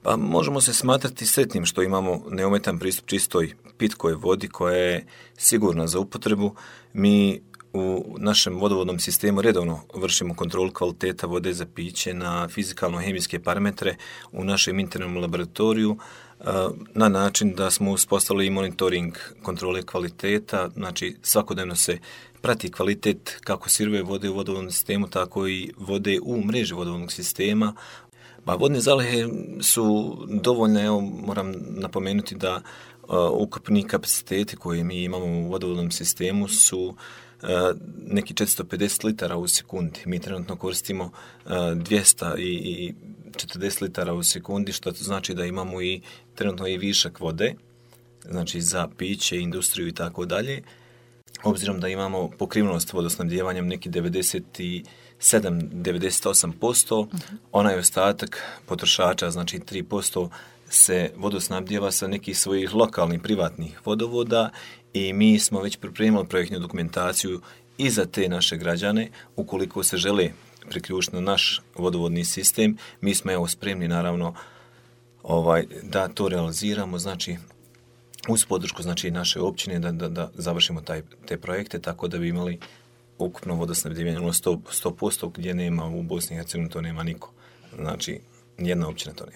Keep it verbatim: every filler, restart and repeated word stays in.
Pa možemo se smatrati sretnim što imamo neometan pristup čistoj pitkoj vodi koja je sigurna za upotrebu. Mi u našem vodovodnom sistemu redovno vršimo kontrolu kvaliteta vode za piće na fizikalno-hemijske parametre u našem internom laboratoriju na način da smo uspostavili monitoring kontrole kvaliteta, znači svakodnevno se prati kvalitet kako sirove vode u vodovodnom sistemu, tako i vode u mreži vodovodnog sistema. Pa vodne zalihe su dovoljne, evo moram napomenuti da uh, ukupni kapaciteti koje mi imamo u vodovodnom sistemu su uh, neki četiristo pedeset litara u sekundi. Mi trenutno koristimo uh, dvjesto četrdeset litara u sekundi, što znači da imamo i trenutno i višak vode, znači za piće, industriju i tako dalje. Obzirom da imamo pokrivenost vodosnabdijevanjem neki devedeset sedam do devedeset osam posto, uh-huh. onaj ostatak potrošača, znači tri posto, se vodosnabdijeva sa nekih svojih lokalnih privatnih vodovoda i mi smo već pripremili projektnu dokumentaciju i za te naše građane. Ukoliko se žele priključiti na naš vodovodni sistem, mi smo evo spremni naravno ovaj, da to realiziramo, znači uz podršku znači naše općine da, da, da završimo taj, te projekte tako da bi imali ukupno vodosnabdijevanje sto posto gdje nema u Bosni i Hercegovini, to nema niko. Znači, nijedna općina to nema.